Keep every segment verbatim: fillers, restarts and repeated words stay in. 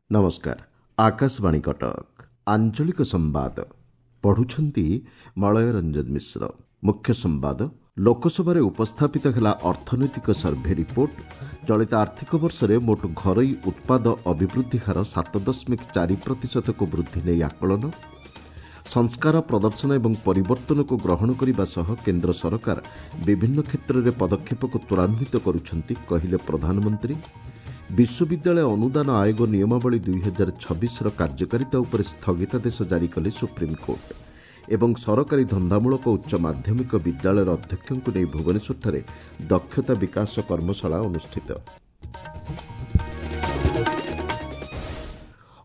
ନମସ୍କାର, ଆକାଶବାଣୀ କଟକ। ଆଞ୍ଚଳିକ ସମ୍ବାଦ ପଢ଼ୁଛନ୍ତି ମଳୟ ରଞ୍ଜନ ମିଶ୍ର। ମୁଖ୍ୟ ସମ୍ବାଦ, ଲୋକସଭାରେ ଉପସ୍ଥାପିତ ହେଲା ଅର୍ଥନୈତିକ ସର୍ଭେ ରିପୋର୍ଟ। ଚଳିତ ଆର୍ଥିକ ବର୍ଷରେ ମୋଟ ଘରୋଇ ଉତ୍ପାଦ ଅଭିବୃଦ୍ଧି ହାର ସାତ ଦଶମିକ ଚାରି ପ୍ରତିଶତକୁ ବୃଦ୍ଧି ନେଇ ଆକଳନ। ସଂସ୍କାର, ପ୍ରଦର୍ଶନ ଏବଂ ପରିବର୍ତ୍ତନକୁ ଗ୍ରହଣ କରିବା ସହ କେନ୍ଦ୍ର ସରକାର ବିଭିନ୍ନ କ୍ଷେତ୍ରରେ ପଦକ୍ଷେପକୁ ତ୍ୱରାନ୍ୱିତ କରୁଛନ୍ତି, କହିଲେ ପ୍ରଧାନମନ୍ତ୍ରୀ। ବିଶ୍ୱବିଦ୍ୟାଳୟ ଅନୁଦାନ ଆୟୋଗ ନିୟମାବଳୀ ଦୁଇହଜାର ଛବିଶର କାର୍ଯ୍ୟକାରିତା ଉପରେ ସ୍ଥଗିତାଦେଶ ଜାରି କଲେ ସୁପ୍ରିମକୋର୍ଟ। ଏବଂ ସରକାରୀ ଧନ୍ଦାମୂଳକ ଉଚ୍ଚ ମାଧ୍ୟମିକ ବିଦ୍ୟାଳୟର ଅଧ୍ୟକ୍ଷଙ୍କୁ ନେଇ ଭୁବନେଶ୍ୱରଠାରେ ଦକ୍ଷତା ବିକାଶ କର୍ମଶାଳା ଅନୁଷ୍ଠିତ।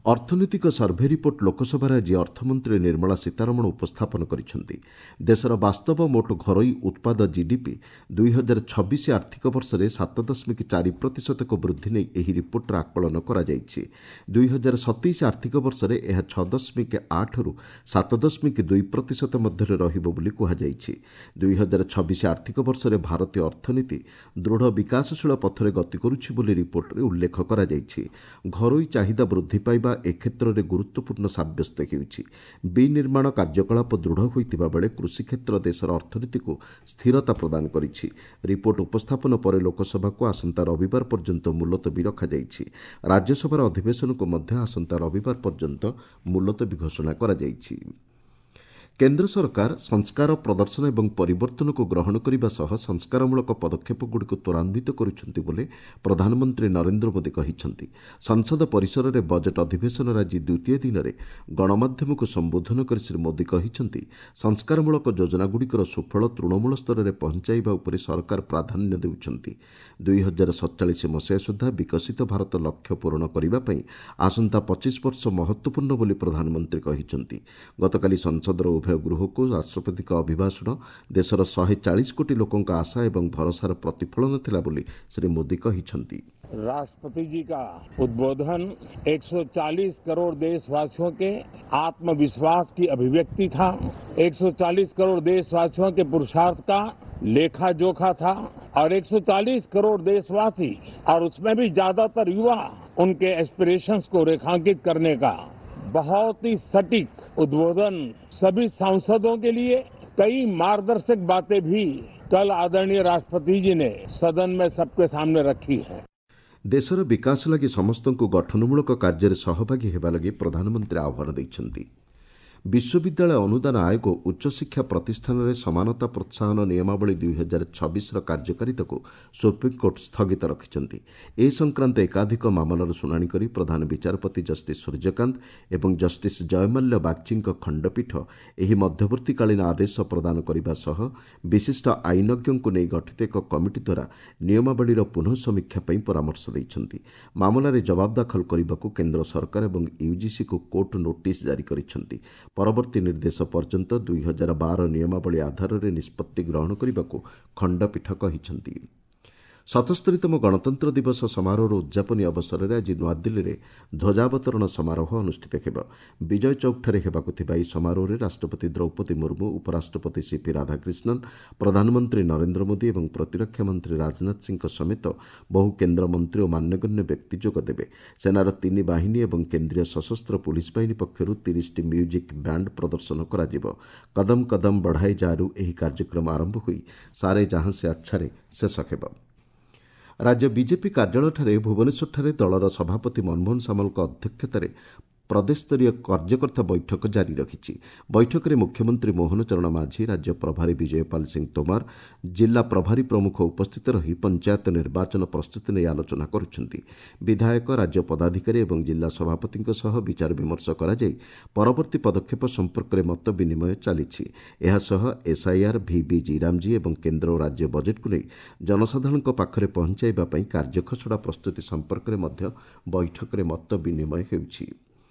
ଅର୍ଥନୈତିକ ସର୍ଭେ ରିପୋର୍ଟ ଲୋକସଭାରେ ଆଜି ଅର୍ଥମନ୍ତ୍ରୀ ନିର୍ମଳା ସୀତାରମଣ ଉପସ୍ଥାପନ କରିଛନ୍ତି। ଦେଶର ବାସ୍ତବ ମୋଟ ଘରୋଇ ଉତ୍ପାଦ ଜିଡିପି ଦୁଇହଜାର ଛବିଶ ଆର୍ଥିକ ବର୍ଷରେ ସାତ ଦଶମିକ ଚାରି ପ୍ରତିଶତକୁ ବୃଦ୍ଧି ନେଇ ଏହି ରିପୋର୍ଟରେ ଆକଳନ କରାଯାଇଛି। ଦୁଇହଜାର ସତେଇଶ ଆର୍ଥିକ ବର୍ଷରେ ଏହା ଛଅ ଦଶମିକ ଆଠରୁ ସାତ ଦଶମିକ ଦୁଇ ପ୍ରତିଶତ ମଧ୍ୟରେ ରହିବ ବୋଲି କୁହାଯାଇଛି। ଦୁଇହଜାର ଛବିଶ ଆର୍ଥିକ ବର୍ଷରେ ଭାରତୀୟ ଅର୍ଥନୀତି ଦୃଢ଼ ବିକାଶଶୀଳ ପଥରେ ଗତି କରୁଛି ବୋଲି ରିପୋର୍ଟରେ ଉଲ୍ଲେଖ କରାଯାଇଛି। ଘରୋଇ ଚାହିଦା ବୃଦ୍ଧି ପାଇବା ଏ କ୍ଷେତ୍ରରେ ଗୁରୁତ୍ୱପୂର୍ଣ୍ଣ ସାବ୍ୟସ୍ତ ହେଉଛି। ବିନିର୍ମାଣ କାର୍ଯ୍ୟକଳାପ ଦୃଢ଼ ହୋଇଥିବା ବେଳେ କୃଷିକ୍ଷେତ୍ର ଦେଶର ଅର୍ଥନୀତିକୁ ସ୍ଥିରତା ପ୍ରଦାନ କରିଛି। ରିପୋର୍ଟ ଉପସ୍ଥାପନ ପରେ ଲୋକସଭାକୁ ଆସନ୍ତା ରବିବାର ପର୍ଯ୍ୟନ୍ତ ମୁଲତବୀ ରଖାଯାଇଛି। ରାଜ୍ୟସଭାର ଅଧିବେଶନକୁ ମଧ୍ୟ ଆସନ୍ତା ରବିବାର ପର୍ଯ୍ୟନ୍ତ ମୁଲତବୀ ଘୋଷଣା କରାଯାଇଛି। କେନ୍ଦ୍ର ସରକାର ସଂସ୍କାର, ପ୍ରଦର୍ଶନ ଏବଂ ପରିବର୍ତ୍ତନକୁ ଗ୍ରହଣ କରିବା ସହ ସଂସ୍କାରମୂଳକ ପଦକ୍ଷେପଗୁଡ଼ିକୁ ତ୍ୱରାନ୍ୱିତ କରୁଛନ୍ତି ବୋଲି ପ୍ରଧାନମନ୍ତ୍ରୀ ନରେନ୍ଦ୍ର ମୋଦି କହିଛନ୍ତି। ସଂସଦ ପରିସରରେ ବଜେଟ୍ ଅଧିବେଶନର ଆଜି ଦ୍ୱିତୀୟ ଦିନରେ ଗଣମାଧ୍ୟମକୁ ସମ୍ବୋଧନ କରି ଶ୍ରୀ ମୋଦି କହିଛନ୍ତି, ସଂସ୍କାରମୂଳକ ଯୋଜନାଗୁଡ଼ିକର ସୁଫଳ ତୃଣମୂଳ ସ୍ତରରେ ପହଞ୍ଚାଇବା ଉପରେ ସରକାର ପ୍ରାଧାନ୍ୟ ଦେଉଛନ୍ତି। ଦୁଇହଜାର ସତଚାଳିଶ ମସିହା ସୁଦ୍ଧା ବିକଶିତ ଭାରତ ଲକ୍ଷ୍ୟ ପୂରଣ କରିବା ପାଇଁ ଆସନ୍ତା ପଚିଶ ବର୍ଷ ମହତ୍ତ୍ୱପୂର୍ଣ୍ଣ ବୋଲି ପ୍ରଧାନମନ୍ତ୍ରୀ କହିଛନ୍ତି। ଗତକାଲି ସଂସଦର ଉଭୟ ଗୃହକୁ ରାଷ୍ଟ୍ରପତିଙ୍କ ଅଭିଭାଷଣ ଦେଶର ଶହେ ଚାଳିଶ କୋଟି ଲୋକଙ୍କ ଆଶା ଏବଂ ଭରସାର ପ୍ରତିଫଳନ ଥିଲା ବୋଲି ଶ୍ରୀ ମୋଦି କହିଛନ୍ତି। राष्ट्रपति जी का उद्बोधन एक सौ चालीस करोड़ देशवासियों के आत्मविश्वास की अभिव्यक्ति था, एक सौ चालीस करोड़ देशवासियों के पुरुषार्थ का लेखा जोखा था और एक सौ चालीस करोड़ देशवासी और उसमें भी ज्यादातर युवा, उनके एस्पिरेशंस को रेखांकित करने का बहुत ही सटीक उद्बोधन। सभी सांसदों के लिए कई मार्गदर्शक बातें भी कल आदरणीय राष्ट्रपति जी ने सदन में सबके सामने रखी है। ଦେଶର ବିକାଶ ଲାଗି ସମସ୍ତଙ୍କୁ ଗଠନମୂଳକ କାର୍ଯ୍ୟରେ ସହଭାଗୀ ହେବା ଲାଗି ପ୍ରଧାନମନ୍ତ୍ରୀ ଆହ୍ୱାନ ଦେଇଛନ୍ତି। ବିଶ୍ୱବିଦ୍ୟାଳୟ ଅନୁଦାନ ଆୟୋଗ ଉଚ୍ଚଶିକ୍ଷା ପ୍ରତିଷ୍ଠାନରେ ସମାନତା ପ୍ରୋତ୍ସାହନ ନିୟମାବଳୀ ଦୁଇହଜାର ଛବିଶର କାର୍ଯ୍ୟକାରିତାକୁ ସୁପ୍ରିମକୋର୍ଟ ସ୍ଥଗିତ ରଖିଛନ୍ତି। ଏ ସଂକ୍ରାନ୍ତ ଏକାଧିକ ମାମଲାର ଶୁଣାଣି କରି ପ୍ରଧାନ ବିଚାରପତି ଜଷ୍ଟିସ୍ ସୂର୍ଯ୍ୟକାନ୍ତ ଏବଂ ଜଷ୍ଟିସ୍ ଜୟମାଲ୍ୟ ବାଗ୍ଚୀଙ୍କ ଖଣ୍ଡପୀଠ ଏହି ମଧ୍ୟବର୍ତ୍ତୀକାଳୀନ ଆଦେଶ ପ୍ରଦାନ କରିବା ସହ ବିଶିଷ୍ଟ ଆଇନଜ୍ଞଙ୍କୁ ନେଇ ଗଠିତ ଏକ କମିଟି ଦ୍ୱାରା ନିୟମାବଳୀର ପୁନଃ ସମୀକ୍ଷା ପାଇଁ ପରାମର୍ଶ ଦେଇଛନ୍ତି। ମାମଲାରେ ଜବାବ ଦାଖଲ କରିବାକୁ କେନ୍ଦ୍ର ସରକାର ଏବଂ ୟୁଜିସିକୁ କୋର୍ଟ ନୋଟିସ୍ ଜାରି କରିଛନ୍ତି। ପରବର୍ତ୍ତୀ ନିର୍ଦ୍ଦେଶ ପର୍ଯ୍ୟନ୍ତ ଦୁଇହଜାର ବାର ନିୟମାବଳୀ ଆଧାରରେ ନିଷ୍ପତ୍ତି ଗ୍ରହଣ କରିବାକୁ ଖଣ୍ଡପୀଠ କହିଛନ୍ତି। ସତସ୍ତରୀତମ ଗଣତନ୍ତ୍ର ଦିବସ ସମାରୋହର ଉଦ୍ଯାପନୀ ଅବସରରେ ଆଜି ନୂଆଦିଲ୍ଲୀରେ ଧ୍ୱଜାବତରଣ ସମାରୋହ ଅନୁଷ୍ଠିତ ହେବ। ବିଜୟ ଚୌକଠାରେ ହେବାକୁ ଥିବା ଏହି ସମାରୋହରେ ରାଷ୍ଟ୍ରପତି ଦ୍ରୌପଦୀ ମୁର୍ମୁ, ଉପରାଷ୍ଟ୍ରପତି ସିପି ରାଧାକ୍ରିଷ୍ଣନ, ପ୍ରଧାନମନ୍ତ୍ରୀ ନରେନ୍ଦ୍ର ମୋଦି ଏବଂ ପ୍ରତିରକ୍ଷା ମନ୍ତ୍ରୀ ରାଜନାଥ ସିଂଙ୍କ ସମେତ ବହୁ କେନ୍ଦ୍ରମନ୍ତ୍ରୀ ଓ ମାନ୍ୟଗଣ୍ୟ ବ୍ୟକ୍ତି ଯୋଗଦେବେ। ସେନାର ତିନି ବାହିନୀ ଏବଂ କେନ୍ଦ୍ରୀୟ ସଶସ୍ତ୍ର ପୁଲିସ୍ ବାହିନୀ ପକ୍ଷରୁ ତିରିଶଟି ମ୍ୟୁଜିକ୍ ବ୍ୟାଣ୍ଡ ପ୍ରଦର୍ଶନ କରାଯିବ। କଦମ କଦମ ବଢ଼ାଇ ଯାରୁ ଏହି କାର୍ଯ୍ୟକ୍ରମ ଆରମ୍ଭ ହୋଇ ସାରେ ଜାହାଁ ସେ ଆଚ୍ଛାରେ ଶେଷ ହେବ। ରାଜ୍ୟ ବିଜେପି କାର୍ଯ୍ୟାଳୟଠାରେ ଭୁବନେଶ୍ୱରଠାରେ ଦଳର ସଭାପତି ମନମୋହନ ସାମଲଙ୍କ ଅଧ୍ୟକ୍ଷତାରେ ପ୍ରଦେଶସ୍ତରୀୟ କାର୍ଯ୍ୟକର୍ତ୍ତା ବୈଠକ ଜାରି ରଖିଛି। ବୈଠକରେ ମୁଖ୍ୟମନ୍ତ୍ରୀ ମୋହନ ଚରଣ ମାଝୀ, ରାଜ୍ୟ ପ୍ରଭାରୀ ବିଜୟପାଲ ସିଂ ତୋମାର, ଜିଲ୍ଲା ପ୍ରଭାରୀ ପ୍ରମୁଖ ଉପସ୍ଥିତ ରହି ପଞ୍ଚାୟତ ନିର୍ବାଚନ ପ୍ରସ୍ତୁତି ନେଇ ଆଲୋଚନା କରୁଛନ୍ତି। ବିଧାୟକ, ରାଜ୍ୟ ପଦାଧିକାରୀ ଏବଂ ଜିଲ୍ଲା ସଭାପତିଙ୍କ ସହ ବିଚାର ବିମର୍ଶ କରାଯାଇ ପରବର୍ତ୍ତୀ ପଦକ୍ଷେପ ସମ୍ପର୍କରେ ମତ ବିନିମୟ ଚାଲିଛି। ଏହାସହ ଏସ୍ଆଇଆର୍, ଭିବି ଜିରାମଜୀ ଏବଂ କେନ୍ଦ୍ର ଓ ରାଜ୍ୟ ବଜେଟ୍କୁ ନେଇ ଜନସାଧାରଣଙ୍କ ପାଖରେ ପହଞ୍ଚାଇବା ପାଇଁ କାର୍ଯ୍ୟଖସଡ଼ା ପ୍ରସ୍ତୁତି ସମ୍ପର୍କରେ ମଧ୍ୟ ବୈଠକରେ ମତ ବିନିମୟ ହେଉଛି।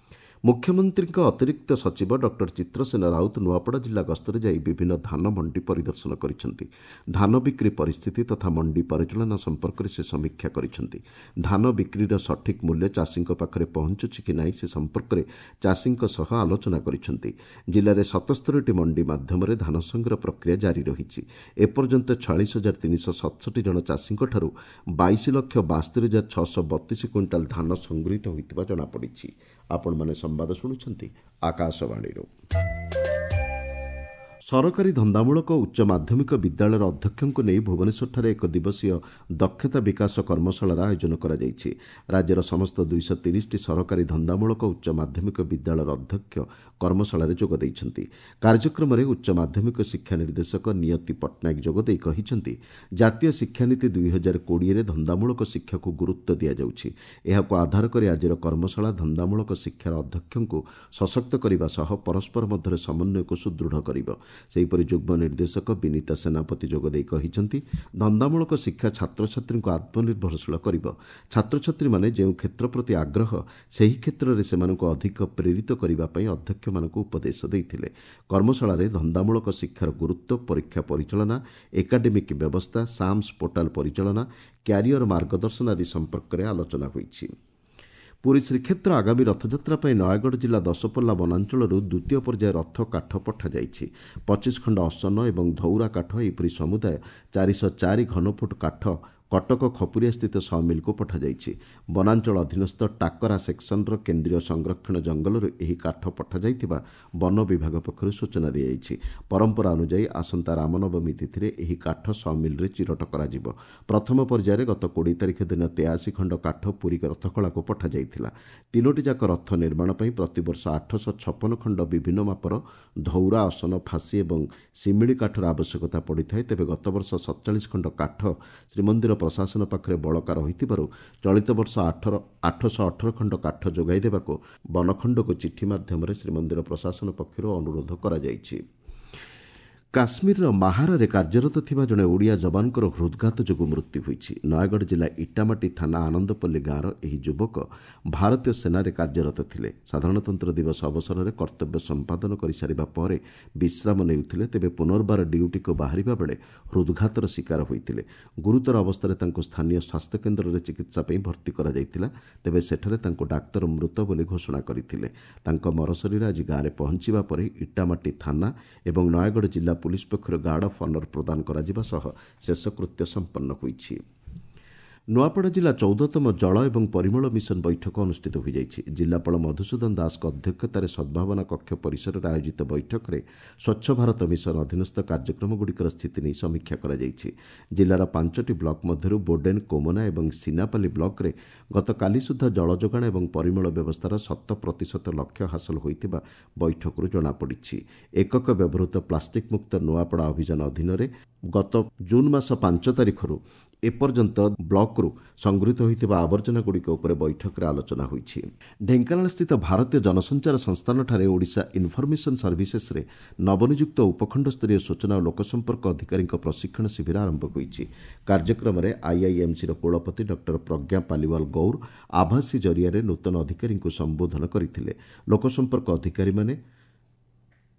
ମୁଖ୍ୟମନ୍ତ୍ରୀଙ୍କ ଅତିରିକ୍ତ ସଚିବ ଡକ୍ଟର ଚିତ୍ରସେନ ରାଉତ ନୂଆପଡ଼ା ଜିଲ୍ଲା ଗସ୍ତରେ ଯାଇ ବିଭିନ୍ନ ଧାନ ମଣ୍ଡି ପରିଦର୍ଶନ କରିଛନ୍ତି। ଧାନ ବିକ୍ରି ପରିସ୍ଥିତି ତଥା ମଣ୍ଡି ପରିଚାଳନା ସମ୍ପର୍କରେ ସେ ସମୀକ୍ଷା କରିଛନ୍ତି। ଧାନ ବିକ୍ରିର ସଠିକ୍ ମୂଲ୍ୟ ଚାଷୀଙ୍କ ପାଖରେ ପହଞ୍ଚୁଛି କି ନାହିଁ ସେ ସମ୍ପର୍କରେ ଚାଷୀଙ୍କ ସହ ଆଲୋଚନା କରିଛନ୍ତି। ଜିଲ୍ଲାରେ ସତସ୍ତରୀଟି ମଣ୍ଡି ମାଧ୍ୟମରେ ଧାନ ସଂଗ୍ରହ ପ୍ରକ୍ରିୟା ଜାରି ରହିଛି। ଏପର୍ଯ୍ୟନ୍ତ ଛୟାଳିଶ ହଜାର ତିନିଶହ ସତଷଠି ଜଣ ଚାଷୀଙ୍କଠାରୁ ବାଇଶ ଲକ୍ଷ ବାସ୍ତରି ହଜାର ଛଅଶହ ବତିଶ କୁଇଣ୍ଟାଲ ଧାନ ସଂଗୃହୀତ ହୋଇଥିବା ଜଣାପଡ଼ିଛି। ଆପଣମାନେ ସମ୍ବାଦ ଶୁଣୁଛନ୍ତି ଆକାଶବାଣୀରୁ। ସରକାରୀ ଧନ୍ଦାମୂଳକ ଉଚ୍ଚ ମାଧ୍ୟମିକ ବିଦ୍ୟାଳୟର ଅଧ୍ୟକ୍ଷଙ୍କୁ ନେଇ ଭୁବନେଶ୍ୱରଠାରେ ଏକ ଦିବସୀୟ ଦକ୍ଷତା ବିକାଶ କର୍ମଶାଳାର ଆୟୋଜନ କରାଯାଇଛି। ରାଜ୍ୟର ସମସ୍ତ ଦୁଇଶହ ତିରିଶଟି ସରକାରୀ ଧନ୍ଦାମୂଳକ ଉଚ୍ଚ ମାଧ୍ୟମିକ ବିଦ୍ୟାଳୟର ଅଧ୍ୟକ୍ଷ କର୍ମଶାଳାରେ ଯୋଗ ଦେଇଛନ୍ତି। କାର୍ଯ୍ୟକ୍ରମରେ ଉଚ୍ଚ ମାଧ୍ୟମିକ ଶିକ୍ଷା ନିର୍ଦ୍ଦେଶକ ନିୟତି ପଟ୍ଟନାୟକ ଯୋଗଦେଇ କହିଛନ୍ତି, ଜାତୀୟ ଶିକ୍ଷାନୀତି ଦୁଇ ହଜାର କୋଡ଼ିଏରେ ଧନ୍ଦାମୂଳକ ଶିକ୍ଷାକୁ ଗୁରୁତ୍ୱ ଦିଆଯାଉଛି। ଏହାକୁ ଆଧାର କରି ଆଜିର କର୍ମଶାଳା ଧନ୍ଦାମୂଳକ ଶିକ୍ଷାର ଅଧ୍ୟକ୍ଷଙ୍କୁ ସଶକ୍ତ କରିବା ସହ ପରସ୍ପର ମଧ୍ୟରେ ସମନ୍ୱୟକୁ ସୁଦୃଢ଼ କରିବ। ସେହିପରି ଯୁଗ୍ମ ନିର୍ଦ୍ଦେଶକ ବିନୀତା ସେନାପତି ଯୋଗଦେଇ କହିଛନ୍ତି, ଧନ୍ଦାମୂଳକ ଶିକ୍ଷା ଛାତ୍ରଛାତ୍ରୀଙ୍କୁ ଆତ୍ମନିର୍ଭରଶୀଳ କରିବ। ଛାତ୍ରଛାତ୍ରୀମାନେ ଯେଉଁ କ୍ଷେତ୍ର ପ୍ରତି ଆଗ୍ରହ ସେହି କ୍ଷେତ୍ରରେ ସେମାନଙ୍କୁ ଅଧିକ ପ୍ରେରିତ କରିବା ପାଇଁ ଅଧ୍ୟକ୍ଷମାନଙ୍କୁ ଉପଦେଶ ଦେଇଥିଲେ। କର୍ମଶାଳାରେ ଧନ୍ଦାମୂଳକ ଶିକ୍ଷାର ଗୁରୁତ୍ୱ, ପରୀକ୍ଷା ପରିଚାଳନା, ଏକାଡେମିକ୍ ବ୍ୟବସ୍ଥା, ସାମ୍ସ ପୋର୍ଟାଲ ପରିଚାଳନା, କ୍ୟାରିୟର ମାର୍ଗଦର୍ଶନ ଆଦି ସମ୍ପର୍କରେ ଆଲୋଚନା ହୋଇଛି। ପୁରୀ ଶ୍ରୀକ୍ଷେତ୍ର ଆଗାମୀ ରଥଯାତ୍ରା ପାଇଁ ନୟାଗଡ଼ ଜିଲ୍ଲା ଦଶପଲ୍ଲା ବନାଞ୍ଚଳରୁ ଦ୍ୱିତୀୟ ପର୍ଯ୍ୟାୟ ରଥ କାଠ ପଠାଯାଇଛି। ପଚିଶ ଖଣ୍ଡ ଅସନ ଏବଂ ଧଉରା କାଠ, ଏହିପରି ସମୁଦାୟ ଚାରିଶହ ଚାରି ଘନଫୁଟ କାଠ କଟକ ଖପୁରିଆସ୍ଥିତ ସମିଲ୍କୁ ପଠାଯାଇଛି। ବନାଞ୍ଚଳ ଅଧୀନସ୍ଥ ଟାକରା ସେକ୍ସନର କେନ୍ଦ୍ରୀୟ ସଂରକ୍ଷଣ ଜଙ୍ଗଲରୁ ଏହି କାଠ ପଠାଯାଇଥିବା ବନ ବିଭାଗ ପକ୍ଷରୁ ସୂଚନା ଦିଆଯାଇଛି। ପରମ୍ପରା ଅନୁଯାୟୀ ଆସନ୍ତା ରାମନବମୀ ତିଥିରେ ଏହି କାଠ ସମିଲ୍ରେ ଚିରଟ କରାଯିବ। ପ୍ରଥମ ପର୍ଯ୍ୟାୟରେ ଗତ କୋଡ଼ିଏ ତାରିଖ ଦିନ ତେୟାଅଶୀ ଖଣ୍ଡ କାଠ ପୁରୀ ରଥଖଳାକୁ ପଠାଯାଇଥିଲା। ତିନୋଟି ଯାକ ରଥ ନିର୍ମାଣ ପାଇଁ ପ୍ରତିବର୍ଷ ଆଠଶହ ଛପନ ଖଣ୍ଡ ବିଭିନ୍ନ ମାପର ଧଉରା, ଅସନ, ଫାଶୀ ଏବଂ ଶିମିଳି କାଠର ଆବଶ୍ୟକତା ପଡ଼ିଥାଏ। ତେବେ ଗତବର୍ଷ ସତଚାଳିଶ ଖଣ୍ଡ କାଠ ଶ୍ରୀମନ୍ଦିର ପ୍ରଶାସନ ପାଖରେ ବଳକା ରହିଥିବାରୁ ଚଳିତ ବର୍ଷ ଆଠର ଆଠଶହ ଅଠର ଖଣ୍ଡ କାଠ ଯୋଗାଇ ଦେବାକୁ ବନଖଣ୍ଡକୁ ଚିଠି ମାଧ୍ୟମରେ ଶ୍ରୀମନ୍ଦିର ପ୍ରଶାସନ ପକ୍ଷରୁ ଅନୁରୋଧ କରାଯାଇଛି। କାଶ୍ମୀରର ମାହାରାରେ କାର୍ଯ୍ୟରତ ଥିବା ଜଣେ ଓଡ଼ିଆ ଯବାନଙ୍କର ହୃଦଘାତ ଯୋଗୁଁ ମୃତ୍ୟୁ ହୋଇଛି। ନୟାଗଡ଼ ଜିଲ୍ଲା ଇଟାମାଟି ଥାନା ଆନନ୍ଦପଲ୍ଲୀ ଗାଁର ଏହି ଯୁବକ ଭାରତୀୟ ସେନାରେ କାର୍ଯ୍ୟରତ ଥିଲେ। ସାଧାରଣତନ୍ତ୍ର ଦିବସ ଅବସରରେ କର୍ତ୍ତବ୍ୟ ସମ୍ପାଦନ କରିସାରିବା ପରେ ବିଶ୍ରାମ ନେଉଥିଲେ। ତେବେ ପୁନର୍ବାର ଡ୍ୟୁଟିକୁ ବାହାରିବା ବେଳେ ହୃଦଘାତର ଶିକାର ହୋଇଥିଲେ। ଗୁରୁତର ଅବସ୍ଥାରେ ତାଙ୍କୁ ସ୍ଥାନୀୟ ସ୍ୱାସ୍ଥ୍ୟକେନ୍ଦ୍ରରେ ଚିକିତ୍ସା ପାଇଁ ଭର୍ତ୍ତି କରାଯାଇଥିଲା। ତେବେ ସେଠାରେ ତାଙ୍କୁ ଡାକ୍ତର ମୃତ ବୋଲି ଘୋଷଣା କରିଥିଲେ। ତାଙ୍କ ମରଶରୀର ଆଜି ଗାଁରେ ପହଞ୍ଚିବା ପରେ ଇଟାମାଟି ଥାନା ଏବଂ ନୟାଗଡ଼ ଜିଲ୍ଲା ପୁଲିସ ପକ୍ଷରୁ ଗାର୍ଡ ଅଫ୍ ଅନର ପ୍ରଦାନ କରାଯିବା ସହ ଶେଷକୃତ୍ୟ ସମ୍ପନ୍ନ ହୋଇଛି। ନୂଆପଡ଼ା ଜିଲ୍ଲା ଚଉଦତମ ଜଳ ଏବଂ ପରିମଳ ମିଶନ ବୈଠକ ଅନୁଷ୍ଠିତ ହୋଇଯାଇଛି। ଜିଲ୍ଲାପାଳ ମଧୁସୂଦନ ଦାସଙ୍କ ଅଧ୍ୟକ୍ଷତାରେ ସଦ୍ଭାବନା କକ୍ଷ ପରିସରରେ ଆୟୋଜିତ ବୈଠକରେ ସ୍ୱଚ୍ଛ ଭାରତ ମିଶନ ଅଧୀନସ୍ଥ କାର୍ଯ୍ୟକ୍ରମଗୁଡ଼ିକର ସ୍ଥିତି ନେଇ ସମୀକ୍ଷା କରାଯାଇଛି। ଜିଲ୍ଲାର ପାଞ୍ଚଟି ବ୍ଲକ ମଧ୍ୟରୁ ବୋଡେନ୍, କୋମନା ଏବଂ ସିନାପାଲି ବ୍ଲକରେ ଗତକାଲି ସୁଦ୍ଧା ଜଳ ଯୋଗାଣ ଏବଂ ପରିମଳ ବ୍ୟବସ୍ଥାର ଶତ ପ୍ରତିଶତ ଲକ୍ଷ୍ୟ ହାସଲ ହୋଇଥିବା ବୈଠକରୁ ଜଣାପଡ଼ିଛି। ଏକକ ବ୍ୟବହୃତ ପ୍ଲାଷ୍ଟିକ୍ ମୁକ୍ତ ନୂଆପଡ଼ା ଅଭିଯାନ ଅଧୀନରେ ଗତ ଜୁନ୍ ମାସ ପାଞ୍ଚ ତାରିଖରୁ ଏପର୍ଯ୍ୟନ୍ତ ବ୍ଲକରୁ ସଂଗୃହୀତ ହୋଇଥିବା ଆବର୍ଜନାଗୁଡ଼ିକ ଉପରେ ବୈଠକରେ ଆଲୋଚନା ହୋଇଛି। ଢେଙ୍କାନାଳସ୍ଥିତ ଭାରତୀୟ ଜନସଞ୍ଚାର ସଂସ୍ଥାନଠାରେ ଓଡ଼ିଶା ଇନଫର୍ମେସନ୍ ସର୍ଭିସେସ୍ରେ ନବନିଯୁକ୍ତ ଉପଖଣ୍ଡସ୍ତରୀୟ ସୂଚନା ଓ ଲୋକସମ୍ପର୍କ ଅଧିକାରୀଙ୍କ ପ୍ରଶିକ୍ଷଣ ଶିବିର ଆରମ୍ଭ ହୋଇଛି। କାର୍ଯ୍ୟକ୍ରମରେ ଆଇଆଇଏମ୍ସିର କୁଳପତି ଡକ୍ଟର ପ୍ରଜ୍ଞା ପାଲିୱାଲ ଗୌର ଆଭାସୀ ଜରିଆରେ ନୂତନ ଅଧିକାରୀଙ୍କୁ ସମ୍ବୋଧନ କରିଥିଲେ। ଲୋକସମ୍ପର୍କ ଅଧିକାରୀମାନେ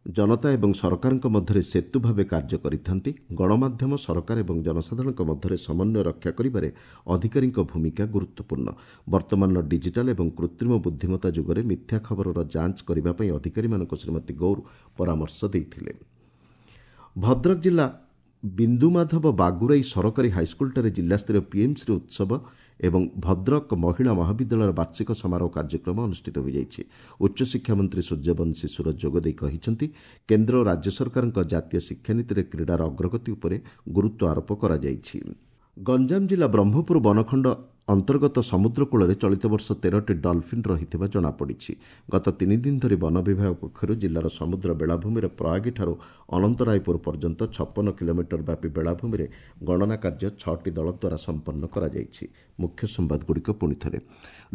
ଜନତା ଏବଂ ସରକାରଙ୍କ ମଧ୍ୟରେ ସେତୁ ଭାବେ କାର୍ଯ୍ୟ କରିଥାନ୍ତି। ଗଣମାଧ୍ୟମ, ସରକାର ଏବଂ ଜନସାଧାରଣଙ୍କ ମଧ୍ୟରେ ସମନ୍ୱୟ ରକ୍ଷା କରିବାରେ ଅଧିକାରୀଙ୍କ ଭୂମିକା ଗୁରୁତ୍ୱପୂର୍ଣ୍ଣ। ବର୍ତ୍ତମାନର ଡିଜିଟାଲ ଏବଂ କୃତ୍ରିମ ବୁଦ୍ଧିମତ୍ତା ଯୁଗରେ ମିଥ୍ୟା ଖବରର ଯାଞ୍ଚ କରିବା ପାଇଁ ଅଧିକାରୀମାନଙ୍କୁ ଶ୍ରୀମତୀ ଗୌର ପରାମର୍ଶ ଦେଇଥିଲେ। ଭଦ୍ରକ ଜିଲ୍ଲା ବିନ୍ଦୁମାଧବ ବାଗୁରାଇ ସରକାରୀ ହାଇସ୍କୁଲଠାରେ ଜିଲ୍ଲାସ୍ତରୀୟ ପିଏମ୍ଶ୍ରୀ ଉତ୍ସବ ଏବଂ ଭଦ୍ରକ ମହିଳା ମହାବିଦ୍ୟାଳୟର ବାର୍ଷିକ ସମାରୋହ କାର୍ଯ୍ୟକ୍ରମ ଅନୁଷ୍ଠିତ ହୋଇଯାଇଛି। ଉଚ୍ଚଶିକ୍ଷା ମନ୍ତ୍ରୀ ସୂର୍ଯ୍ୟବଂଶୀ ସୁରଜ ଯୋଗଦେଇ କହିଛନ୍ତି, କେନ୍ଦ୍ର ଓ ରାଜ୍ୟ ସରକାରଙ୍କ ଜାତୀୟ ଶିକ୍ଷାନୀତିରେ କ୍ରୀଡ଼ାର ଅଗ୍ରଗତି ଉପରେ ଗୁରୁତ୍ୱ ଆରୋପ କରାଯାଇଛି। ଗଞ୍ଜାମ ଜିଲ୍ଲା ବ୍ରହ୍ମପୁର ବନଖଣ୍ଡ ଅନ୍ତର୍ଗତ ସମୁଦ୍ର କୂଳରେ ଚଳିତ ବର୍ଷ ତେରଟି ଡଲଫିନ୍ ରହିଥିବା ଜଣାପଡ଼ିଛି। ଗତ ତିନି ଦିନ ଧରି ବନ ବିଭାଗ ପକ୍ଷରୁ ଜିଲ୍ଲାର ସମୁଦ୍ର ବେଳାଭୂମିରେ ପ୍ରୟାଗୀଠାରୁ ଅନନ୍ତରାୟପୁର ପର୍ଯ୍ୟନ୍ତ ଛପନ କିଲୋମିଟର ବ୍ୟାପୀ ବେଳାଭୂମିରେ ଗଣନା କାର୍ଯ୍ୟ ଛଅଟି ଦଳ ଦ୍ୱାରା ସମ୍ପନ୍ନ କରାଯାଇଛି। ମୁଖ୍ୟ ସମ୍ବାଦଗୁଡ଼ିକ ପୁଣି ଥରେ।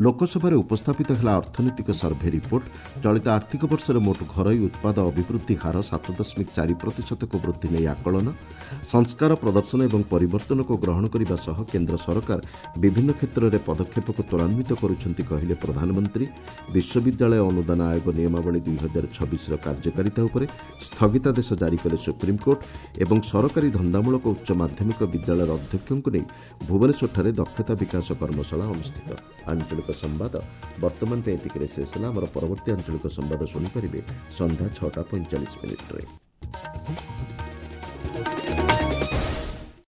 ଲୋକସଭାରେ ଉପସ୍ଥାପିତ ହେଲା ଅର୍ଥନୈତିକ ସର୍ଭେ ରିପୋର୍ଟ। ଚଳିତ ଆର୍ଥିକ ବର୍ଷରେ ମୋଟ ଘରୋଇ ଉତ୍ପାଦ ଅଭିବୃଦ୍ଧି ହାର ସାତ ଦଶମିକ ଚାରି ପ୍ରତିଶତକୁ ବୃଦ୍ଧି ନେଇ ଆକଳନ। ସଂସ୍କାର, ପ୍ରଦର୍ଶନ ଏବଂ ପରିବର୍ତ୍ତନକୁ ଗ୍ରହଣ କରିବା ସହ କେନ୍ଦ୍ର ସରକାର ବିଭିନ୍ନ କ୍ଷେତ୍ରରେ ପଦକ୍ଷେପକୁ ତ୍ୱରାନ୍ୱିତ କରୁଛନ୍ତି କହିଲେ ପ୍ରଧାନମନ୍ତ୍ରୀ। ବିଶ୍ୱବିଦ୍ୟାଳୟ ଅନୁଦାନ ଆୟୋଗ ନିୟମାବଳୀ ଦୁଇ ହଜାର ଛବିଶର କାର୍ଯ୍ୟକାରିତା ଉପରେ ସ୍ଥଗିତାଦେଶ ଜାରି କଲେ ସୁପ୍ରିମକୋର୍ଟ। ଏବଂ ସରକାରୀ ଧନ୍ଦାମୂଳକ ଉଚ୍ଚ ମାଧ୍ୟମିକ ବିଦ୍ୟାଳୟର ଅଧ୍ୟକ୍ଷଙ୍କୁ ନେଇ ଭୁବନେଶ୍ୱରଠାରେ ଦକ୍ଷତା ବିକାଶ କର୍ମଶାଳା ଅନୁଷ୍ଠିତ। ଆଞ୍ଚଳିକ ସମ୍ବାଦ ବର୍ତ୍ତମାନ ପାଇଁ ଏତିକିରେ ଶେଷ ହେଲା। ଆମର ପରବର୍ତ୍ତୀ ଆଞ୍ଚଳିକ ସମ୍ବାଦ ଶୁଣିପାରିବେ ସନ୍ଧ୍ୟା ଛଅଟା ପଇଁଚାଳିଶ ମିନିଟ୍ରେ।